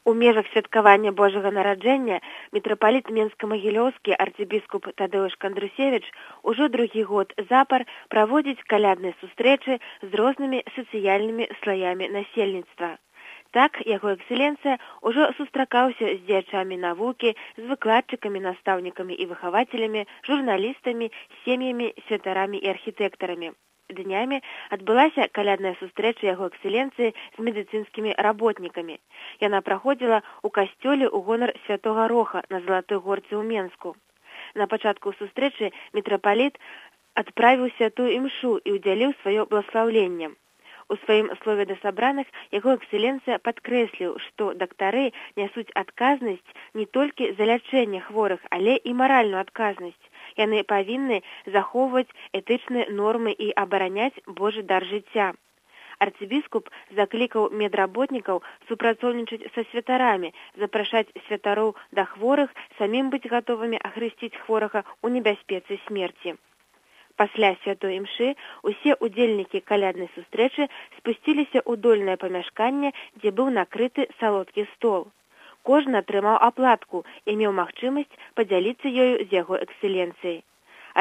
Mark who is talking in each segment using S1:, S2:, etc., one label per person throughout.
S1: У межах святкавання Божага нараджэння мітрапаліт Менска-Магілёўскі арцыбіскуп Тадэўш Кандрусевіч ужо другі год запар праводзіць калядныя сустрэчы з рознымі сацыяльнымі слаямі насельніцтва. Так, яго экселенцыя ўжо сустракаўся з дзеячамі навукі, з выкладчыкамі, настаўнікамі і выхавацелямі, журналістамі, сем'ямі, святарамі і архітэктарамі. Днямі адбылася калядная сустрэча яго экселенцыі з медыцынскімі работнікамі. Яна праходзіла ў касцёле ў гонар Святога Роха на Залатой горцы ў Менску. На пачатку сустрэчы мітрапаліт адправіў святую імшу і ўдзяліў сваё бласлаўленне. У сваім слове да сабраных яго экселенцыя падкрэсліў, што дактары нясуць адказнасць не толькі за лячэнне хворых, але і маральную адказнасць. Яны павінны захоўваць этычныя нормы і абараняць Божы дар жыцця. Арцыбіскуп заклікаў медработнікаў супрацоўнічаць са святарамі, запрашаць святароў да хворых, самім быць гатовымі ахрысціць хворага ў небяспецы смерці. Пасля святой імшы усе удзельнікі каляднай сустрэчы спусціліся ў дольнае памяшканне, дзе быў накрыты салодкі стол. Кожны атрымаў аплатку і меў магчымасць падзяліцца ёю з яго экселенцыяй.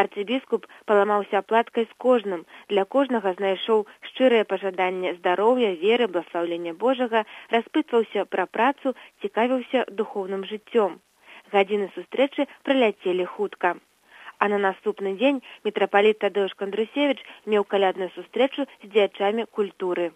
S1: Арцыбіскуп паламаўся аплаткай з кожным, для кожнага знайшоў шчырае пажаданне здароўя, веры, бласлаўлення Божага, распытваўся пра працу, цікавіўся духоўным жыццём. Гадзіны сустрэчы праляцелі хутка. А на наступны дзень мітрапаліт Тадэўш Кандрусевіч меў калядную сустрэчу з дзеячамі культуры.